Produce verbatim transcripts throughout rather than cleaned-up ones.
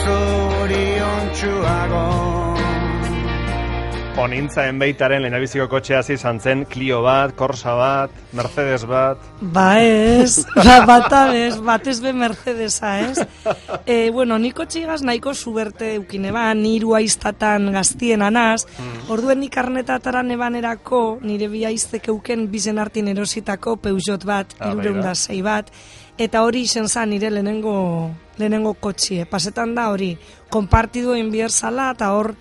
zoriontsuago. Onintzaen beitaren lehenabiziko kotxea izan zen Clio bat, Corsa bat, Mercedes bat. Ba ez, ba, bata bez, batez be Mercedesa, ez? E, bueno, niko txigaz nahiko zuberte eukine ba, niru aiztatan gaztien anaz, mm. orduen nik arnetatara nebanerako, nire bi aiztek euken bizen hartin erositako Peugeot bat, ah, irureunda zei bat, eta hori izen zan nire lehenengo, lehenengo kotxie. Pasetan da hori, konpartidu enbier zala, eta hor,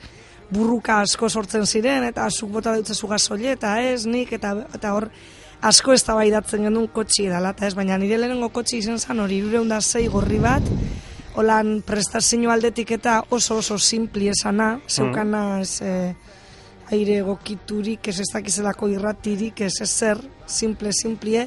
burruka asko sortzen ziren, eta zuk bota dutzezu gasoile, eta ez, nik, eta, eta hor asko ez tabaidatzen gendun kotxi edala, eta ez, baina nire lehenengo kotxi izen zan hori, irureunda zei gorri bat, holan prestazio aldetik eta oso oso simpli esana, zeukana ez, eh, aire gokiturik, ez ez dakizelako irratirik, ez ezer, simple, simplie,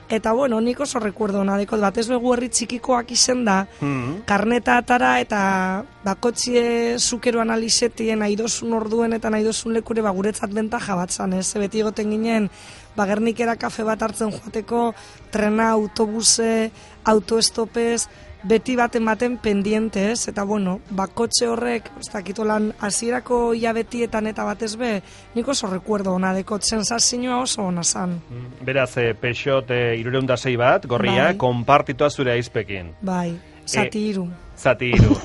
eta bueno, nik oso rekuerdo nadekot bat, ez begu herri txikikoak izen da, mm-hmm. karneta atara eta bakotxie zukero analizetien nahidosun orduen eta nahidosun lekure ba, guretzat bentaja bat zan, ez? Beti egoten ginen, ba, Gernikera kafe bat hartzen joateko, trena, autobuse, autoestopez, beti baten baten pendiente, ez? Eta bueno, bakotxe horrek, ez dakitolan, hasierako hilabetietan eta batez be, nik oso rekuerdo hona dekot, sensazioa oso hona zan. Beraz, eh, Peugeot eh, irureunda zei bat, gorria, bai. Konpartitua zure aizpekin. Bai, zati hiru. E, zati hiru.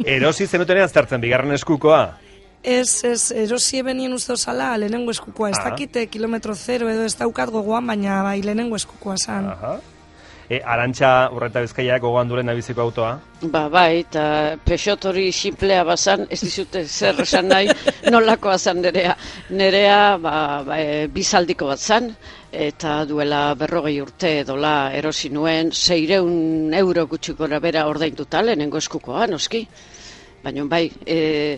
Erosi zenutenean zertzen, bigarren eskukoa? Ez, ez, erosi ebenien uste osala, lehenengo eskukoa. Ez dakite kilometro zero edo ez daukat gogoan, baina bai, lehenengo eskukoa zan. Aha. E, Arantxa Urreta Bizkaiak gogoan duren nabiziko autoa? Ba, bai, eta Peugeot hori simplea bazan, ez dizute zer esan nahi, nolakoa zan nerea. Nerea, ba, ba, e, bizaldiko bat zan, eta duela berrogei urte edola erosi nuen, seireun euro gutxi gora bera ordainduta lehenengo eskukoa, noski. Baina bai, e,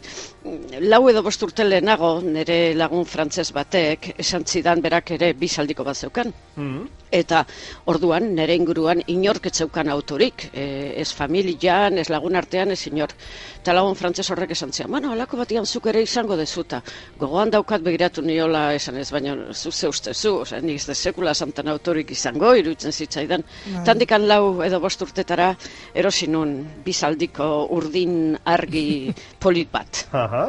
lau edo bost urte lehenago, nire lagun frantzez batek, esan zidan berak ere bizaldiko bat zeukan. Mm-hmm. Eta orduan, nire inguruan inork etzeukan autorik, e, ez familian, ez lagun artean, ez inor. Eta lagun frantzez horrek esan zidan, bueno, alako batian zuk ere izango dezuta. Gogoan daukat begiratu niola esan ez, baina zu ze ustezu, oza, nik ez sekula santan autorik izango, iruditzen zitzaidan. Tandikan lau edo bost urtetara erosi nun bizaldiko urdin argi polit bat. Aha.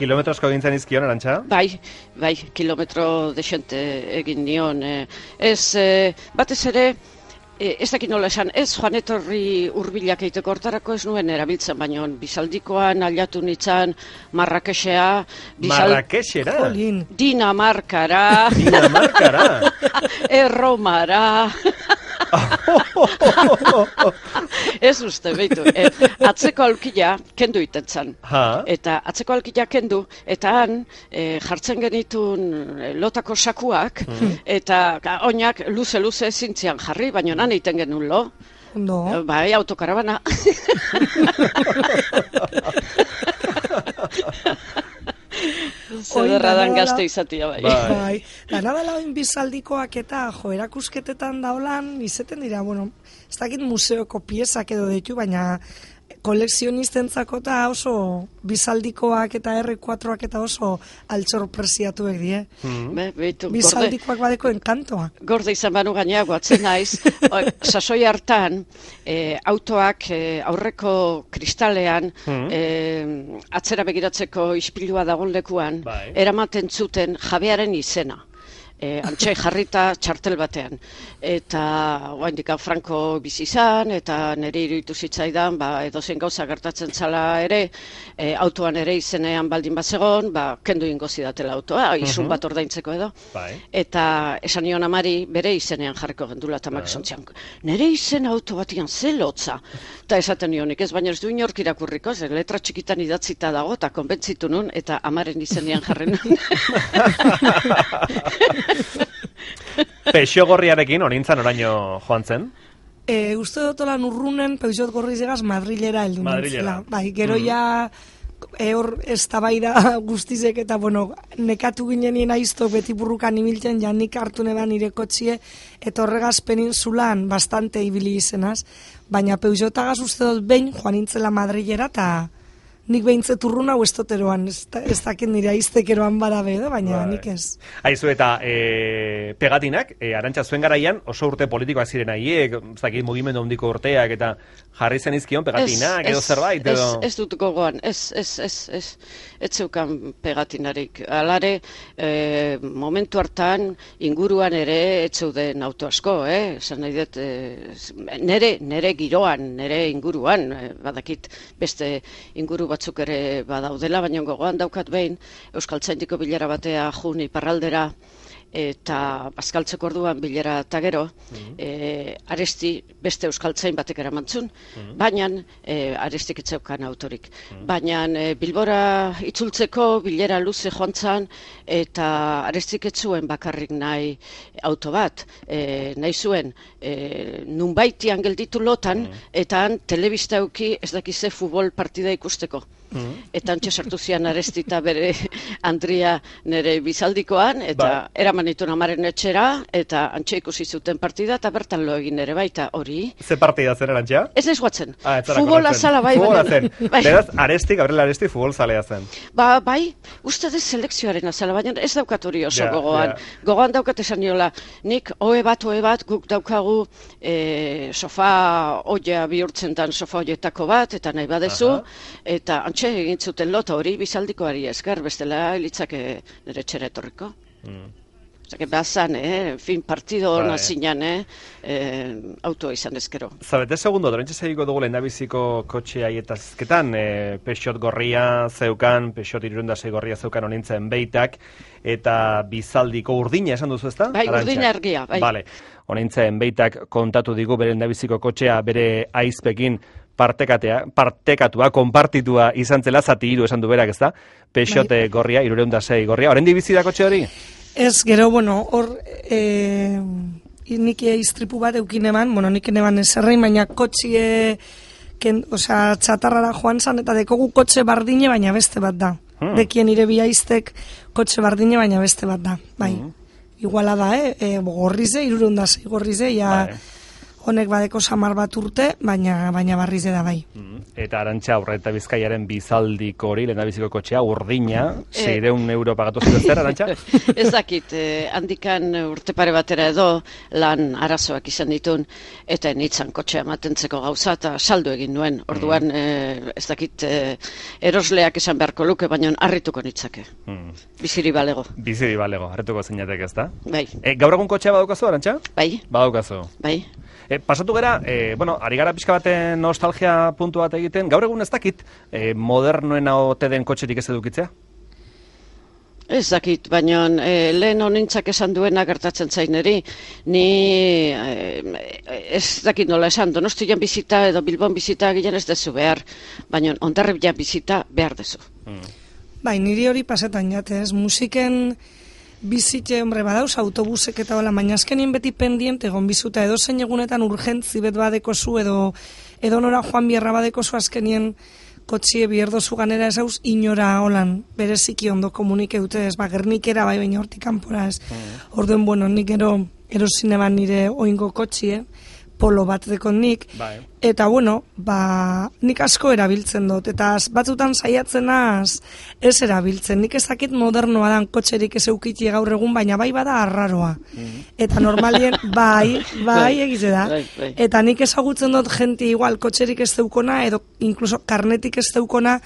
Kilometrosko egintzen izkion, Arantxa? Bai, bai, kilometro desente egin nion. Eh, ez, eh, batez ere, eh, ez dakit nola esan, ez joan etorri hurbilak egiteko hortarako ez nuen erabiltzen, baina bizaldikoan aliatu nintzen Marrakesea. Bizal... Marrakesera? Dinamarkara. Dinamarkara? Erromara. Ez uste, behitu, e, atzeko aulkia kendu itentzan. Eta atzeko aulkia kendu, eta han e, jartzen genitun lotako sakuak, mm. eta oinak luze-luze zintzian jarri, baina nan egiten genuen lo. No. Bai, autokarabana. Zederra dan gazte izatia bai. Bai, dana dela oin bizaldikoak eta jo, erakusketetan daulan, izeten dira, bueno, ez dakit museoko piezak edo ditu, baina koleksionistentzako eta oso bizaldikoak eta erre kuatroak eta oso altsorpresiatuek die. Mm. Be, beitu, bizaldikoak gorde, badeko enkantoa. Gorde izan banu gainea guatzen naiz. Sasoi hartan, e, autoak e, aurreko kristalean mm. e, atzera begiratzeko ispilua dagoen lekuan, bai. Eramaten zuten jabearen izena. E, antxe jarrita txartel batean. Eta oraindik Franco bizi izan, eta nire iruditu zitzaidan, ba, edozein gauza gertatzen zala ere, e, autoan ere izenean baldin bazegon, ba, kendu ingo zidatela autoa, izun bat ordaintzeko edo. Bai. Eta esan nion amari bere izenean jarriko gendula, eta mak esan zian, nire izen auto batian ze lotza. Eta esaten nionik ez, baina ez du inork irakurriko, ze letra txikitan idatzita dago, eta konbentzitu nun, eta amaren izenean jarri nun. Peugeot gorriarekin onintzan oraino joan zen? E, uste dotolan urrunen Peugeot gorri zegaz Madrilera heldu nintzela. Bai, gero mm. ja e, hor eztabaida guztizek eta bueno, nekatu ginenien aiztok beti burrukan ibiltzen, ja nik hartu neban nire kotxie, eta horregaz peninsulan bastante ibili izenaz, baina Peugeotagaz uste dut behin joan nintzela Madrilera eta nik behintzet urruna hau estoteroan, ez, ez dakit nire aiztekeroan badabe edo, baina Bai. nik ez. Aizu eta e, pegatinak, e, Arantxa, zuen garaian oso urte politikoak ziren haiek, ez dakit mugimendu handiko urteak, eta jarri zen izkion pegatinak edo zerbait, edo... Ez, ez dut gogoan, ez, ez, ez, ez, ez zeukan pegatinarik. Alare, e, momentu hartan inguruan ere ez zeuden auto asko, eh? Esan nahi dut, e, nere, nere giroan, nere inguruan, e, badakit beste inguru batzuk ere badaudela, baina gogoan daukat behin Euskaltzaindiko bilera batea jun iparraldera, eta bazkaltzeko orduan bilera eta gero, mm-hmm. e, Aresti beste euskaltzain batek eramantzun, mm-hmm. baina e, Arestik etzeukan autorik. Mm-hmm. Baina e, Bilbora itzultzeko bilera luze joan zan, eta Arestik etzuen bakarrik nahi auto bat, e, nahi zuen e, nunbaitian gelditu lotan, mm-hmm. eta han telebista euki ez dakize futbol partida ikusteko. Mm-hmm. Eta antxe sartu zian Aresti eta bere Andria nere bizaldikoan, eta ba. eraman itun amaren etxera, eta antxe ikusi zuten partida, eta bertan lo egin ere baita hori. Ze partida zen erantxa? Ez naiz guatzen. Ah, Futbola zala bai. Futbola zen. Bai. Beraz, Aresti, Gabriel Aresti futbol zalea zen. Ba, bai, uste dez selekzioaren azala, baina ez daukat hori oso ja, gogoan. Ja. Gogoan daukat esan niola, nik oe bat, oe bat, guk daukagu e, sofa oia bihurtzen dan sofa oietako bat, eta nahi badezu, aha. eta antxe egin zuten lota hori bizaldikoari esker, bestela litzake nire txera etorriko. Mm. Zake bazan, eh? fin partido hona zinan, eh? eh? autoa izan ezkero. Zabete segundo, dorentxe segiko dugu lehendabiziko kotxe aietazketan, eh, Peugeot gorria zeukan, Peugeot hirurehun gorria zeukan honintzen beitak, eta bizaldiko urdina esan duzu ezta? Bai, Arantxa? Urdina argia, bai. Vale. Honintzen beitak kontatu digu bere lehendabiziko kotxea bere aizpekin partekatea, partekatua, konpartitua izan zela, zati hiru esan du berak, ezta? Peugeot bai. gorria, hirurehun gorria. Oraindik bizi da kotxe hori? Ez, gero, bueno, hor, e, nik iztripu bat eukin eman, bueno, nik eman ezerrein, baina kotxie, ken, osea, txatarrara joan zan, eta dekogu kotxe bardine, baina beste bat da. Hmm. Dekien ire biaiztek kotxe bardine, baina beste bat da, bai. Hmm. Iguala da, eh? E, gorrize, hirurehun da sei gorrize, ja... Bai. Honek badeko samar bat urte, baina baina barriz da bai. Mm-hmm. Eta Arantxa Aurreta Bizkaiaren bizaldiko hori, lehendabiziko kotxea, urdina, seiehun euro pagatu zuen zer, Arantxa? Ez dakit, eh, handikan urte pare batera edo lan arazoak izan ditun, eta nitzan kotxea matentzeko gauza, eta saldu egin nuen. Orduan, mm. eh, ez dakit, eh, erosleak esan beharko luke, baina harrituko nitzake. Mm. Biziri balego. Biziri balego, harrituko zeinatek ez da? Bai. E, gaur egun kotxea badaukazu, Arantxa? Bai. Badaukazu. Bai. E, pasatu gara, e, bueno, ari gara pixka baten nostalgia puntu bat egiten, gaur egun ez dakit, e, modernoen ote den kotxerik ez edukitzea? Ez dakit, baina e, lehen honintzak esan duena gertatzen zaineri, ni e, ez dakit nola esan, Donostian bizita edo Bilbon bizita gilen ez dezu behar, baina Hondarribian bizita behar dezu. Mm. Bai, niri hori pasetan jate, ez, musiken... Bizitxe, hombre, badauz, autobusek eta bala, baina azkenien beti pendiente egon bizuta, edo zein egunetan urgentzi bet badekozu, edo, edo nora joan bierra badekozu azkenien kotxie bierdozu ganera ez hauz, inora holan, bereziki ondo komunike dute, ez, ba, Gernikera bai, baina hortik kanpora ez. Mm. Orduen, bueno, nik ero, erosin eban nire oingo kotxie, polo bat dekon nik, bai. Eta bueno, ba, nik asko erabiltzen dut, eta batzutan saiatzen az, ez erabiltzen, nik ez dakit modernoa dan kotxerik ez eukiti gaur egun, baina bai bada arraroa, mm-hmm. eta normalien, bai, bai egize da, bai, bai. Eta nik ezagutzen dut jenti igual kotxerik ez deukona, edo inkluso karnetik ez deukona,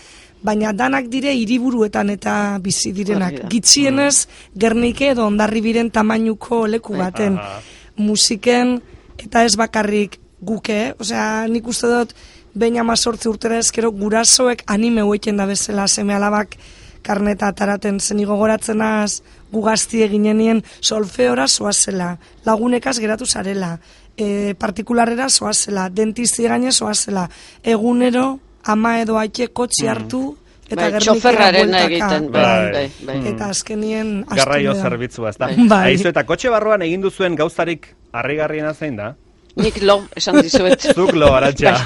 baina danak dire hiriburuetan eta bizi direnak, gitxienez Gernike edo Hondarribiren tamainuko leku baten, musiken, eta ez bakarrik guke, osea, nik uste dut behin amazortzi urtera ezkero gurasoek anime hueken da bezala seme alabak karneta ataraten zenigo goratzenaz gugazti eginenien solfeora zoazela, lagunekaz geratu zarela, e, partikularera zoazela, dentisti gaine zoazela, egunero ama edo aike kotxi hartu, eta bai, txoferraren egiten, bai, bai, bai. Eta azkenien garraio zerbitzua, ez da. Bai. Aizu, eta kotxe barruan egin duzuen gauzarik harrigarriena zein da? Nik lo, esan dizuet. Zuk lo, Arantxa.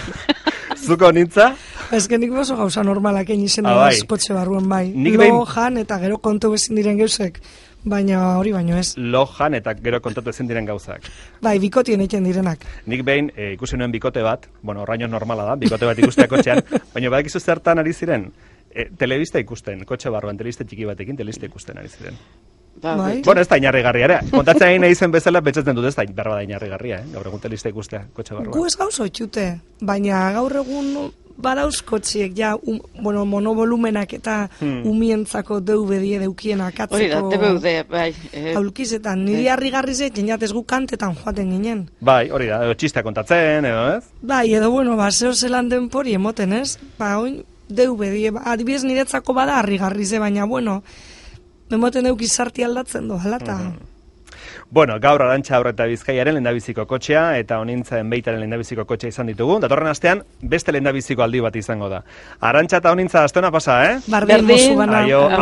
Zuko nintza? Ez que nik oso gauza normalak egin izen ah, bai. Kotxe barruan bai. Nik lo, behin... jan, eta gero kontu bezin diren geusek. baina hori baino ez. Lojan eta gero kontatu ezin diren gauzak. Bai, bikotien egiten direnak. Nik behin e, ikusi nuen bikote bat, bueno, horraino normala da, bikote bat ikustea kotxean, baina badakizu zertan ari ziren, e, telebista ikusten, kotxe barruan, telebista txiki batekin, telebista ikusten ari ziren. Ba, Bai. Bueno, ez da inarrigarria ere. Kontatzen egin nahi zen bezala, betxatzen dut ez da, berba da inarrigarria, eh? Gaur egun telebista ikustea, kotxe barruan. Gu ez gauz oitxute, baina gaur egun badauz kotxiek, ja, um, bueno, monovolumenak eta hmm. umientzako D V D deukien akatzeko... Hori da, D V D, bai. Eh, aulkizetan, niri eh. harrigarri zeiten jatez gu kantetan joaten ginen. Bai, hori da, edo txistea kontatzen, edo ez? Bai, edo, bueno, ba, zeo zelan denpori emoten, ez? Ba, oin, D V D, ba, adibidez niretzako bada harrigarri ze, baina, bueno, emoten deuk izarti aldatzen do, halata. Mm-hmm. Bueno, gaur Arantxa Aurreta Bizkaiaren lehendabiziko kotxea eta Honintzaen Beitaren lehendabiziko kotxea izan ditugu. Datorren astean beste lehendabiziko aldi bat izango da. Arantxa eta Honintza astona pasa, eh? Bardin, mozu bana. Aio.